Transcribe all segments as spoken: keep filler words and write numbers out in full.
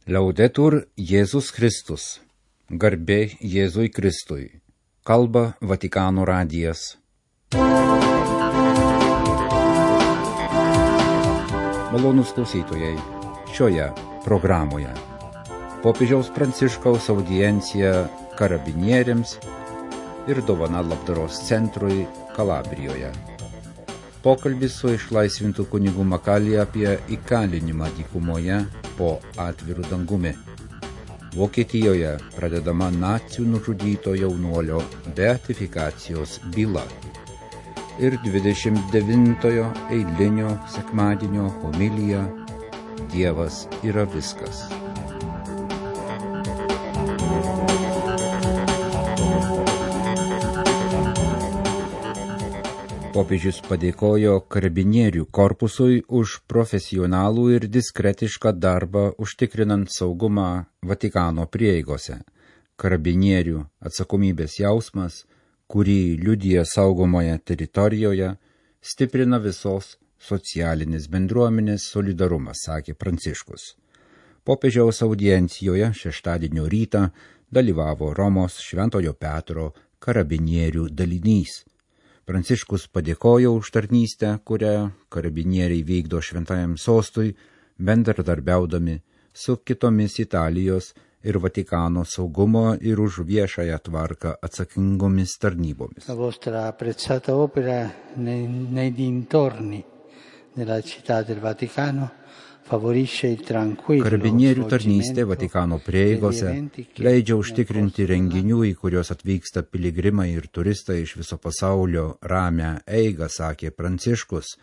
Liaudetur Jėzus Kristus. Garbė Jėzui Kristui. Kalba Vatikano radijas. Malonūs klausytojai, šioje programoje popiežiaus Pranciškaus audiencija karabinieriams ir dovana labdaros centrui Kalabrijoje. Pokalbis su išlaisvintų kunigų Makalija apie įkalinimą dykumoje po atviru dangumi. Vokietijoje pradedama nacių nužudyto jaunuolio beatifikacijos byla. Ir dvidešimt devintojo eilinio sekmadienio homilija Dievas yra viskas. Popiežius padėkojo karabinierių korpusui už profesionalų ir diskretišką darbą užtikrinant saugumą Vatikano prieigose. Karabinierių atsakomybės jausmas, kurį liudija saugomoje teritorijoje, stiprina visos socialinės bendruomenės solidarumas, sakė Pranciškus. Popiežiaus audiencijoje šeštadienio rytą dalyvavo Romos Šventojo Petro karabinierių dalinys. Pranciškus padėkojo už tarnystę, kurią karabinieriai vykdo šventajam sostui, bendradarbiaudami su kitomis Italijos ir Vatikano saugumo ir už viešąją tvarką atsakingomis tarnybomis. La vostra apprezzata opera nei, nei dintorni della città del Vaticano Karabinierių tarnystė Vatikano prieigose leidžia užtikrinti renginių, į kuriuos atvyksta piligrimai ir turistai iš viso pasaulio ramią eigą, sakė Pranciškus.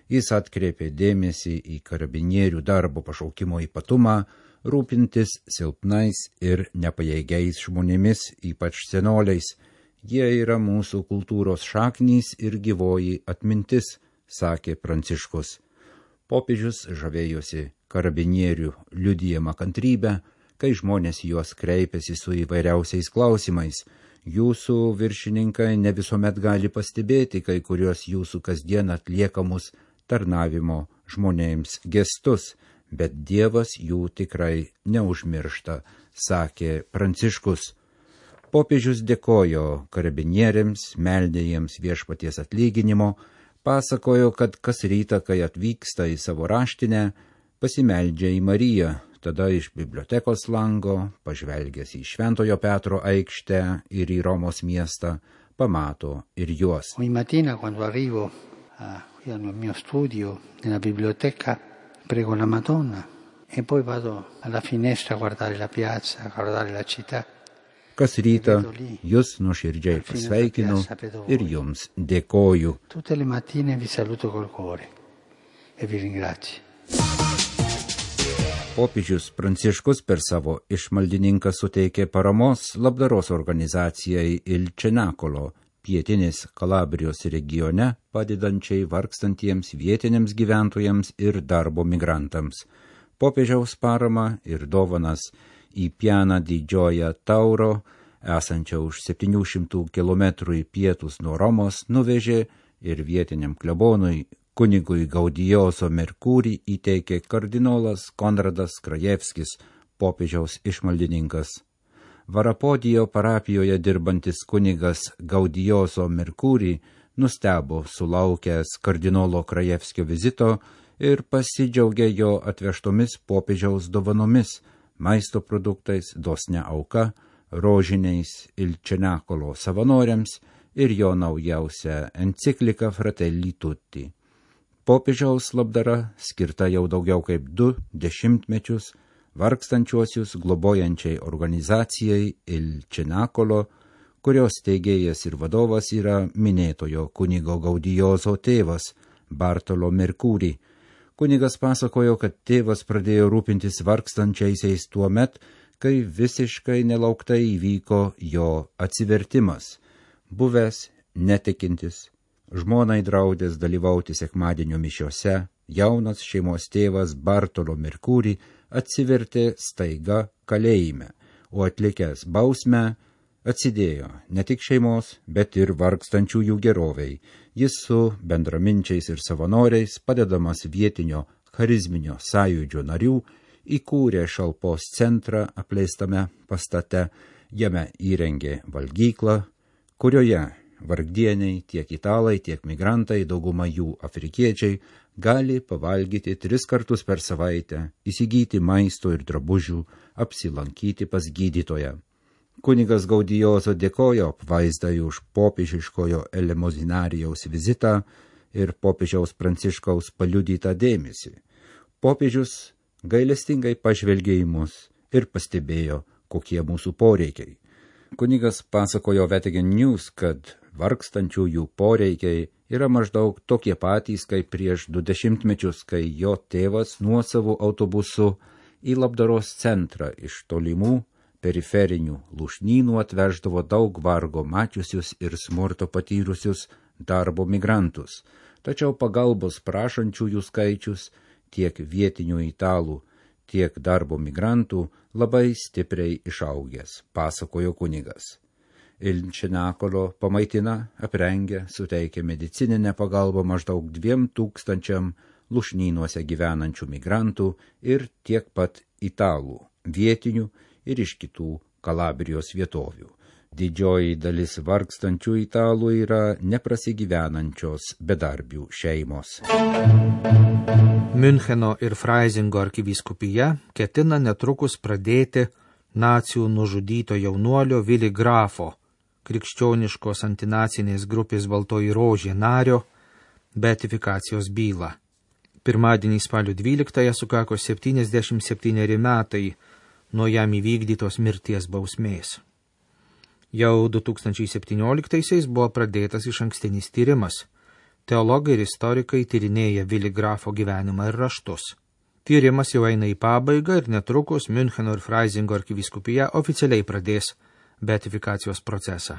Jis atkreipė dėmesį į karabinierių darbo pašaukimo ypatumą, rūpintis silpnais ir nepajėgiais žmonėmis, ypač senoliais. Jie yra mūsų kultūros šaknys ir gyvoji atmintis, sakė Pranciškus. Popiežius žavėjosi karabinierių liudijama kantrybę, kai žmonės juos kreipiasi su įvairiausiais klausimais. Jūsų viršininkai ne visuomet gali pastebėti kai kurios jūsų kasdien atliekamus tarnavimo žmonėms gestus, bet Dievas jų tikrai neužmiršta, sakė Pranciškus. Popiežius dėkojo karabinieriams, meldė jiems viešpaties atlyginimo, pasakojo, kad kas rytą, kai atvyksta į savo raštinę, pasimeldžia į Mariją, tada iš bibliotekos lango, pažvelgęs į Šventojo Petro aikštę ir į Romos miestą, pamato ir juos. Ogni mattina quando arrivo a, qui al mio studio nella biblioteca prego la Madonna e poi vado alla finestra a guardare la piazza, a guardare la città. Kas rytą jūs nuoširdžiai pasveikinu ir jums dėkoju. Tutte le mattine vi saluto col cuore e vi ringrazio. Popiežius Pranciškus per savo išmaldininką suteikė paramos labdaros organizacijai Il Cenacolo, pietinės Kalabrijos regione, padedančiai vargstantiems vietiniams gyventojams ir darbo migrantams. Popiežiaus parama ir dovanas į Pianą didžioją Tauro, esančią už septynių šimtų kilometrų į pietus nuo Romos, nuvežė ir vietiniam klebonui kunigui Gaudijoso Merkurį įteikė kardinolas Konradas Krajevskis, popiežiaus išmaldininkas. Varapodijo parapijoje dirbantis kunigas Gaudijoso Merkurį nustebo sulaukęs kardinolo Krajevskio vizito ir pasidžiaugė jo atvežtomis popiežiaus dovanomis, maisto produktais, dosne auka, rožiniais Il Cenacolo savanoriams ir jo naujausia enciklika Fratelli Tutti. Popiežiaus labdara skirta jau daugiau kaip du dešimtmečius vargstančiuosius globojančiai organizacijai Il Cenacolo, kurios steigėjas ir vadovas yra minėtojo kunigo Gaudijoso tėvas Bartolo Merkurį. Kunigas pasakojo, kad tėvas pradėjo rūpintis vargstančiaisiais tuo met, kai visiškai nelauktai įvyko jo atsivertimas. Buvęs netikintis, žmonai draudęs dalyvauti sekmadienio mišiose, jaunas šeimos tėvas Bartolo Merkurį atsivertė staiga kalėjime, o atlikęs bausmę atsidėjo ne tik šeimos, bet ir vargstančiųjų geroviai. Jis su bendraminčiais ir savanoriais, padedamas vietinio charizminio sąjūdžio narių, įkūrė šalpos centrą apleistame pastate, jame įrengė valgyklą, kurioje vargdieniai, tiek italai, tiek migrantai, dauguma jų afrikiečiai, gali pavalgyti tris kartus per savaitę, įsigyti maisto ir drabužių, apsilankyti pas gydytoją. Kunigas Gaudijozo dėkojo apvaizdai už popiežiškojo elemozinarijaus vizitą ir popiežiaus Pranciškaus paliudytą dėmesį. Popiežius gailestingai pažvelgė į mus ir pastebėjo, kokie mūsų poreikiai. Kunigas pasakojo Vatican News, kad vargstančiųjų poreikiai yra maždaug tokie patys, kaip prieš du dešimtmečius, kai jo tėvas nuosavu autobusu į labdaros centrą iš tolimų periferinių lūšnynų atveždavo daug vargo mačiusius ir smurto patyrusius darbo migrantus. Tačiau pagalbos prašančiųjų skaičius tiek vietinių italų, tiek darbo migrantų labai stipriai išaugęs, pasakojo kunigas. Il Cenacolo pamaitina, aprengia, suteikia medicininę pagalbą maždaug dviem tūkstančiam lūšnynuose gyvenančių migrantų ir tiek pat italų, vietinių ir iš kitų Kalabrijos vietovių. Didžioji dalis vargstančių italų yra neprasigyvenančios bedarbių šeimos. Miuncheno ir Freisingo arkivyskupija ketina netrukus pradėti nacių nužudyto jaunuolio Willy Grafo, krikščioniškos antinacinės grupės Baltoji rožė nario, beatifikacijos bylą. Pirmadienį spalio dvyliktąją sukako septyniasdešimt septyneri metai nuo jam įvykdytos mirties bausmės. Jau du tūkstančiai septynioliktaisiais buvo pradėtas išankstinis tyrimas. Teologai ir istorikai tyrinėja Willy Grafo gyvenimą ir raštus. Tyrimas jau eina į pabaigą ir netrukus Miuncheno ir Freisingo arkivyskupija oficialiai pradės beatifikacijos procesą.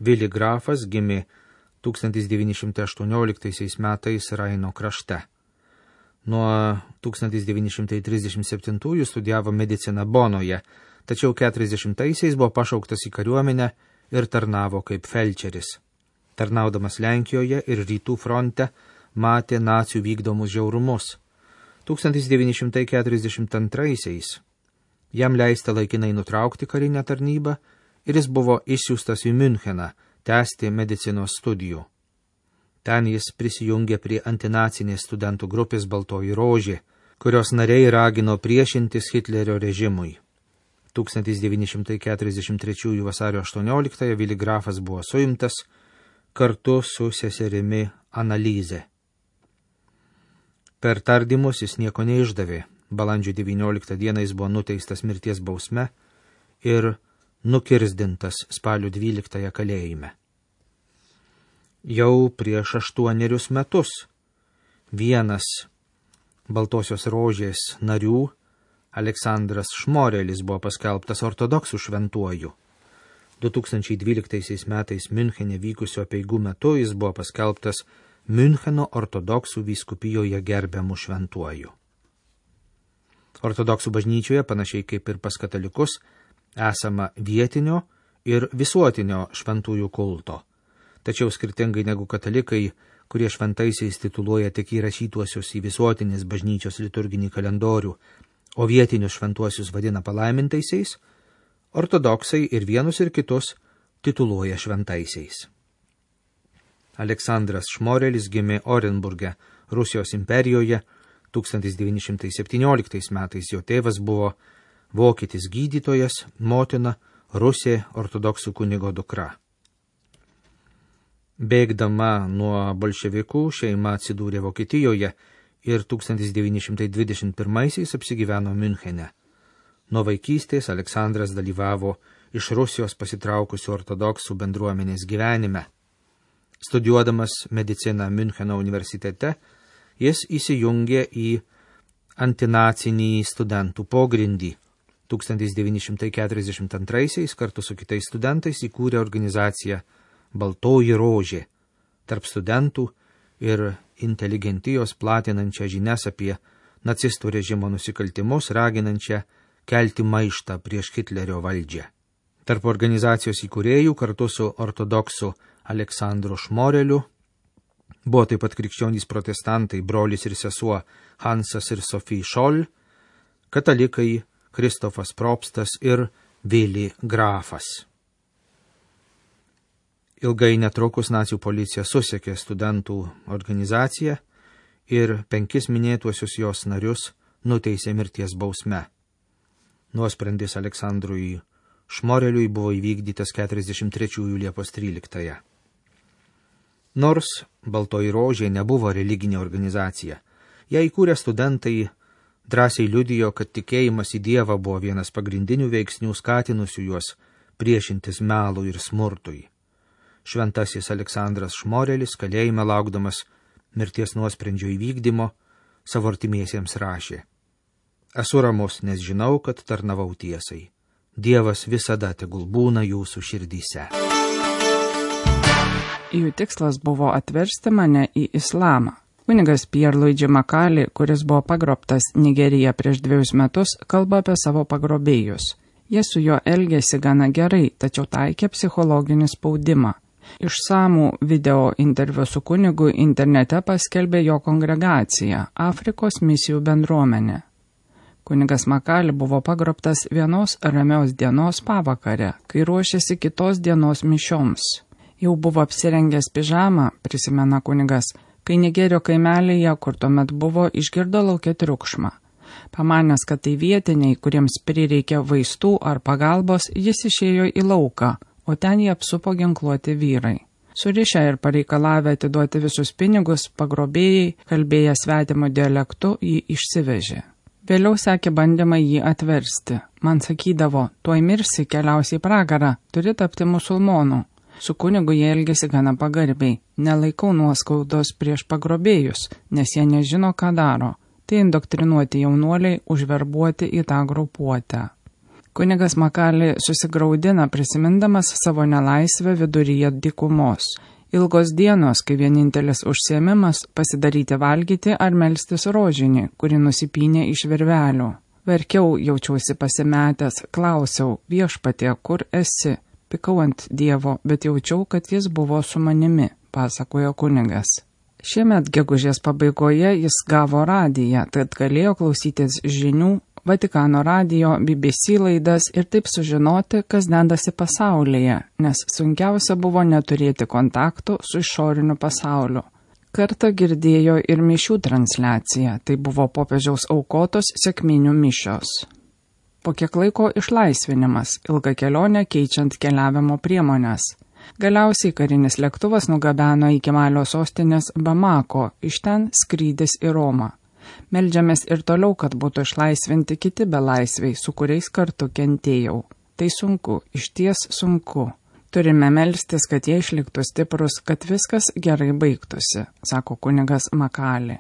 Willy Grafas gimė tūkstantis devyni šimtai aštuonioliktaisiais metais Raino krašte. Nuo tūkstantis devyni šimtai trisdešimt septintųjų studijavo mediciną Bonoje, tačiau keturiasdešimtaisiais buvo pašauktas į kariuomenę ir tarnavo kaip felčeris. Tarnaudamas Lenkijoje ir rytų fronte matė nacių vykdomus žiaurumus. tūkstantis devyni šimtai keturiasdešimt antraisiais jam leista laikinai nutraukti karinę tarnybą ir jis buvo išsiųstas į Miuncheną tęsti medicinos studijų. Ten jis prisijungė prie antinacinės studentų grupės Baltoji rožė, kurios nariai ragino priešintis Hitlerio režimui. tūkstantis devyni šimtai keturiasdešimt trečiųjų vasario aštuonioliktąją Willy Grafas buvo suimtas kartu su seserimi Analize. Per tardymus jis nieko neišdavė. Balandžio devynioliktą dieną jis buvo nuteistas mirties bausme ir nukirzdintas spalio dvyliktąją kalėjime. Jau prieš aštuonerius metus vienas Baltosios rožės narių, Aleksandras Šmorelis, buvo paskelbtas ortodoksų šventuoju. du tūkstančiai dvyliktaisiais metais Miunchene vykusio apeigų metu jis buvo paskelbtas Miuncheno ortodoksų vyskupijoje gerbiamų šventuoju. Ortodoksų bažnyčioje, panašiai kaip ir pas katalikus, esama vietinio ir visuotinio šventųjų kulto. Tačiau skirtingai negu katalikai, kurie šventaisiais tituluoja tik įrašytuosius į visuotinės bažnyčios liturginį kalendorių, o vietinius šventuosius vadina palaimintaisiais, ortodoksai ir vienus ir kitus tituluoja šventaisiais. Aleksandras Šmorelis gimė Orenburge, Rusijos imperijoje, tūkstantis devyni šimtai septynioliktais metais. Jo tėvas buvo vokietis gydytojas, motina Rusė ortodoksų kunigo dukra. Bėgdama nuo bolševikų šeima atsidūrė Vokietijoje ir tūkstantis devyni šimtai dvidešimt pirmaisiais apsigyveno Miunchene. Nuo vaikystės Aleksandras dalyvavo iš Rusijos pasitraukusių ortodoksų bendruomenės gyvenime. Studijuodamas mediciną Miuncheno universitete, jis įsijungė į antinacinį studentų pogrindį. tūkstantis devyni šimtai keturiasdešimt antraisiais kartu su kitais studentais įkūrė organizaciją Baltoji rožė, tarp studentų ir inteligentijos platinančią žinias apie nacistų režimo nusikaltimus, raginančią kelti maištą prieš Hitlerio valdžią. Tarp organizacijos įkūrėjų kartu su ortodoksu Aleksandru Šmoreliu buvo taip pat krikščionys protestantai, brolis ir sesuo Hansas ir Sophie Scholl, katalikai Kristofas Propstas ir Vili Grafas. Ilgai netrukus nacių policija susekė studentų organizaciją ir penkis minėtuosius jos narius nuteisė mirties bausme. Nuosprendis Aleksandrui Šmoreliui buvo įvykdytas keturiasdešimt trečiųjų Liepos tryliktąją. Nors Baltoji Rožė nebuvo religinė organizacija, ją įkūrę studentai drąsiai liudijo, kad tikėjimas į Dievą buvo vienas pagrindinių veiksnių skatinusių juos priešintis melui ir smurtui. Šventasis Aleksandras Šmorelis, kalėjime laukdamas mirties nuosprendžio įvykdymo, savo artimiesiems rašė: Esu ramus, nes žinau, kad tarnavau tiesai. Dievas visada tegul būna jūsų širdyse. Jų tikslas buvo atversti mane į islamą. Kunigas Pierluigi Makali, kuris buvo pagrobtas Nigerija prieš dviejus metus, kalba apie savo pagrobėjus. Jie su juo elgėsi gana gerai, tačiau taikė psichologinį spaudimą. Išsamų video interviu su kunigu internete paskelbė jo kongregacija Afrikos misijų bendruomenė. Kunigas Makali buvo pagrobtas vienos ramios dienos pavakare, kai ruošėsi kitos dienos mišioms. Jau buvo apsirengęs pižamą, prisimena kunigas, kai Nigerio kaimelėje, kur tuomet buvo, išgirdo lauke triukšmą. Pamanęs, kad tai vietiniai, kuriems prireikė vaistų ar pagalbos, jis išėjo į lauką, o ten jį apsupo ginkluoti vyrai. Surišę ir pareikalavę atiduoti visus pinigus, pagrobėjai, kalbėję svetimo dialektu, jį išsivežė. Vėliau sekė bandymai jį atversti. Man sakydavo, tuoj mirsi, keliausi į pragarą, turi tapti musulmonų. Su kunigu jie elgėsi gana pagarbiai. Nelaikau nuoskaudos prieš pagrobėjus, nes jie nežino, ką daro. Tai indoktrinuoti jaunuoliai, užverbuoti į tą grupuotę. Kunigas Makali susigraudina prisimindamas savo nelaisvę viduryje dykumos. Ilgos dienos, kai vienintelis užsiėmimas pasidaryti valgyti ar melstis rožinį, kuri nusipynė iš virvelių. Verkiau, jaučiausi pasimetęs, klausiau, viešpatie, kur esi? Pikau ant Dievo, bet jaučiau, kad jis buvo su manimi, pasakojo kunigas. Šiemet gegužės pabaigoje jis gavo radiją, tad galėjo klausytis žinių, Vatikano radijo, B B C laidas ir taip sužinoti, kas dedasi pasaulyje, nes sunkiausia buvo neturėti kontaktų su išoriniu pasauliu. Kartą girdėjo ir mišių transliaciją, tai buvo popiežiaus aukotos sekminių mišios. Po kiek laiko išlaisvinimas, ilga kelionė keičiant keliavimo priemonės. Galiausiai karinis lėktuvas nugabeno iki Malio sostinės Bamako, iš ten skrydis į Romą. Meldžiamės ir toliau, kad būtų išlaisvinti kiti belaisviai, su kuriais kartu kentėjau. Tai sunku, išties sunku. Turime melstis, kad jie išliktų stiprus, kad viskas gerai baigtųsi, sako kunigas Makali.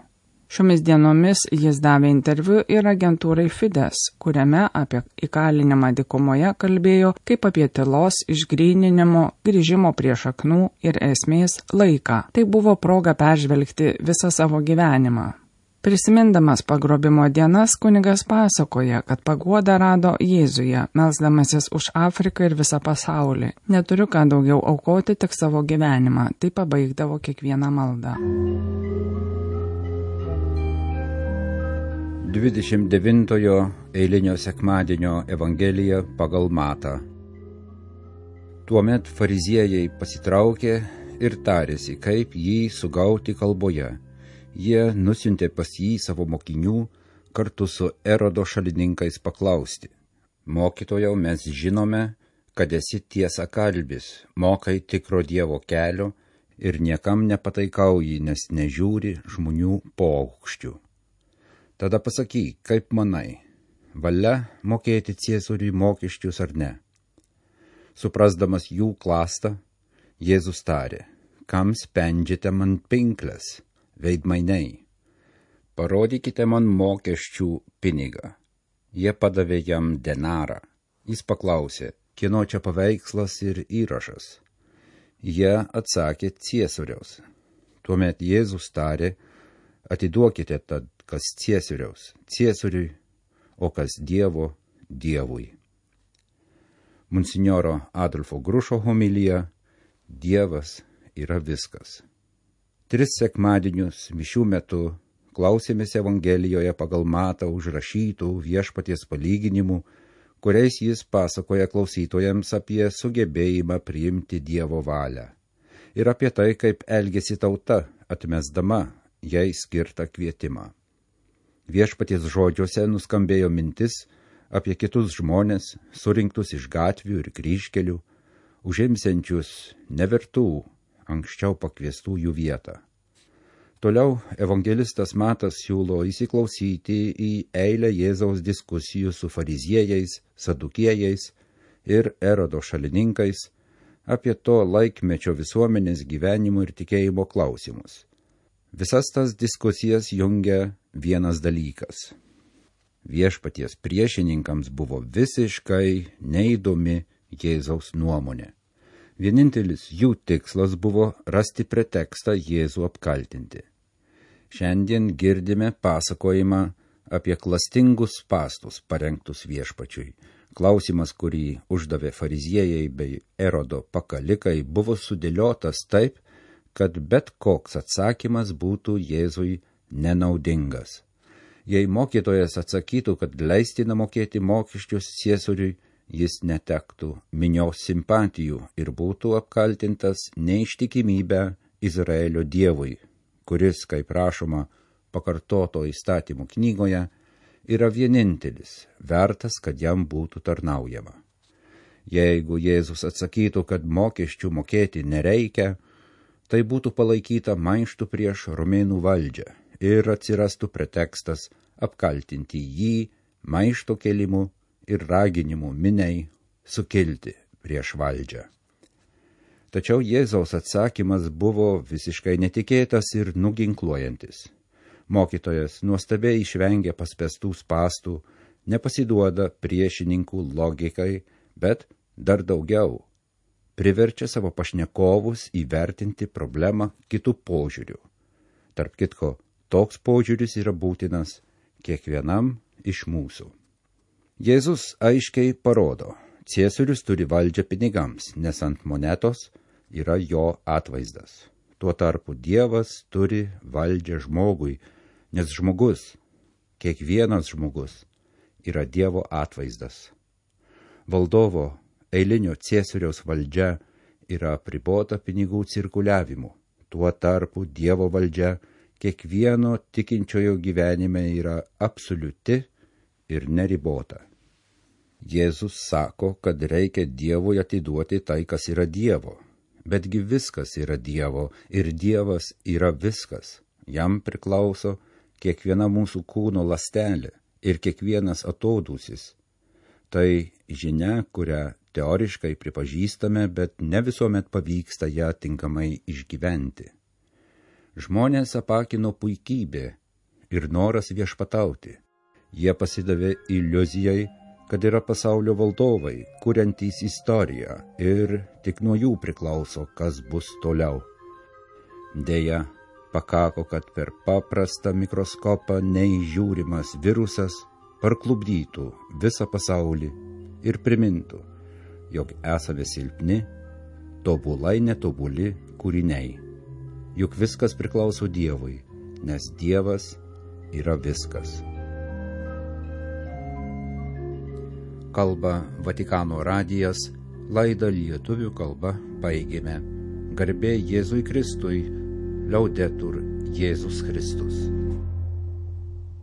Šiomis dienomis jis davė interviu ir agentūrai Fides, kuriame apie įkalinimą dykumoje kalbėjo kaip apie tylos, išgryninimo, grįžimo prie šaknų ir esmės laiką. Tai buvo proga peržvelgti visą savo gyvenimą. Prisimindamas pagrobimo dienas, kunigas pasakoja, kad paguodą rado Jėzuje, melsdamasis už Afriką ir visą pasaulį. Neturiu ką daugiau aukoti, tik savo gyvenimą. Tai pabaigdavo kiekvieną maldą. dvidešimt devintojo eilinio sekmadienio Evangelija pagal Matą. Tuomet fariziejai pasitraukė ir tarėsi, kaip jį sugauti kalboje. Jie nusiuntė pas jį savo mokinių kartu su Erodo šalininkais paklausti. Mokytojau, mes žinome, kad esi tiesa kalbis, mokai tikro Dievo kelio ir niekam nepataikauji, nes nežiūri žmonių paaukščių. Tada pasakyk, kaip manai, valia mokėti Ciesoriui mokesčius ar ne? Suprasdamas jų klastą, Jėzus tarė, kam spendžiate man pinkles? Veidmainiai, parodykite man mokesčių pinigą. Jie padavė jam denarą. Jis paklausė, kieno čia paveikslas ir įrašas. Jie atsakė Ciesoriaus. Tuomet Jėzus tarė, atiduokite tad, kas Ciesoriaus, Ciesoriui, o kas Dievo, Dievui. Monsinjoro Adolfo Grušo homilija, Dievas yra viskas. Tris sekmadienius mišių metu klausėmės Evangelijoje pagal Matą užrašytų Viešpaties palyginimų, kuriais jis pasakoja klausytojams apie sugebėjimą priimti Dievo valią ir apie tai, kaip elgėsi tauta, atmesdama jai skirtą kvietimą. Viešpaties žodžiuose nuskambėjo mintis apie kitus žmonės, surinktus iš gatvių ir kryžkelių, užimsiančius nevertų, anksčiau pakviestųjų vietą. Toliau evangelistas Matas siūlo įsiklausyti į eilę Jėzaus diskusijų su fariziejais, sadukiejais ir Erodo šalininkais apie to laikmečio visuomenės gyvenimo ir tikėjimo klausimus. Visas tas diskusijas jungia vienas dalykas. Viešpaties priešininkams buvo visiškai neįdomi Jėzaus nuomonė. Vienintelis jų tikslas buvo rasti pretekstą Jėzų apkaltinti. Šiandien girdime pasakojimą apie klastingus spąstus parengtus Viešpačiui. Klausimas, kurį uždavė fariziejai bei Erodo pakalikai, buvo sudėliotas taip, kad bet koks atsakymas būtų Jėzui nenaudingas. Jei mokytojas atsakytų, kad leistina mokėti mokesčius ciesoriui, jis netektų minios simpatijų ir būtų apkaltintas neištikimybę Izraelio Dievui, kuris, kaip rašoma pakartoto įstatymų knygoje, yra vienintelis, vertas, kad jam būtų tarnaujama. Jeigu Jėzus atsakytų, kad mokesčių mokėti nereikia, tai būtų palaikyta maištų prieš romėnų valdžią ir atsirastų pretekstas apkaltinti jį maišto kelimu ir raginimu miniai sukilti prieš valdžią. Tačiau Jėzaus atsakymas buvo visiškai netikėtas ir nuginkluojantis. Mokytojas nuostabiai išvengia paspęstų spąstų, nepasiduoda priešininkų logikai, bet dar daugiau priverčia savo pašnekovus įvertinti problemą kitų požiūrių. Tarp kitko, toks požiūris yra būtinas kiekvienam iš mūsų. Jėzus aiškiai parodo, ciesorius turi valdžią pinigams, nes ant monetos yra jo atvaizdas. Tuo tarpu Dievas turi valdžią žmogui, nes žmogus, kiekvienas žmogus, yra Dievo atvaizdas. Valdovo eilinio ciesoriaus valdžia yra apribota pinigų cirkuliavimu. Tuo tarpu Dievo valdžia kiekvieno tikinčiojo gyvenime yra absoliuti ir neribota. Jėzus sako, kad reikia Dievui atiduoti tai, kas yra Dievo. Betgi viskas yra Dievo ir Dievas yra viskas. Jam priklauso kiekviena mūsų kūno ląstelė ir kiekvienas atodūsis. Tai žinia, kurią teoriškai pripažįstame, bet ne visuomet pavyksta ją tinkamai išgyventi. Žmonės apakino puikybė ir noras viešpatauti. Jie pasidavė iliuzijai, kad yra pasaulio valdovai, kuriantys istoriją ir tik nuo jų priklauso, kas bus toliau. Deja, pakako, kad per paprastą mikroskopą neįžiūrimas virusas parklupdytų visą pasaulį ir primintų, jog esame silpni, tobulai netobuli kūriniai. Juk viskas priklauso Dievui, nes Dievas yra viskas. Kalba Vatikano radijas, laidą lietuvių kalba baigėme. Garbė Jėzui Kristui, Laudetur Jėzus Kristus.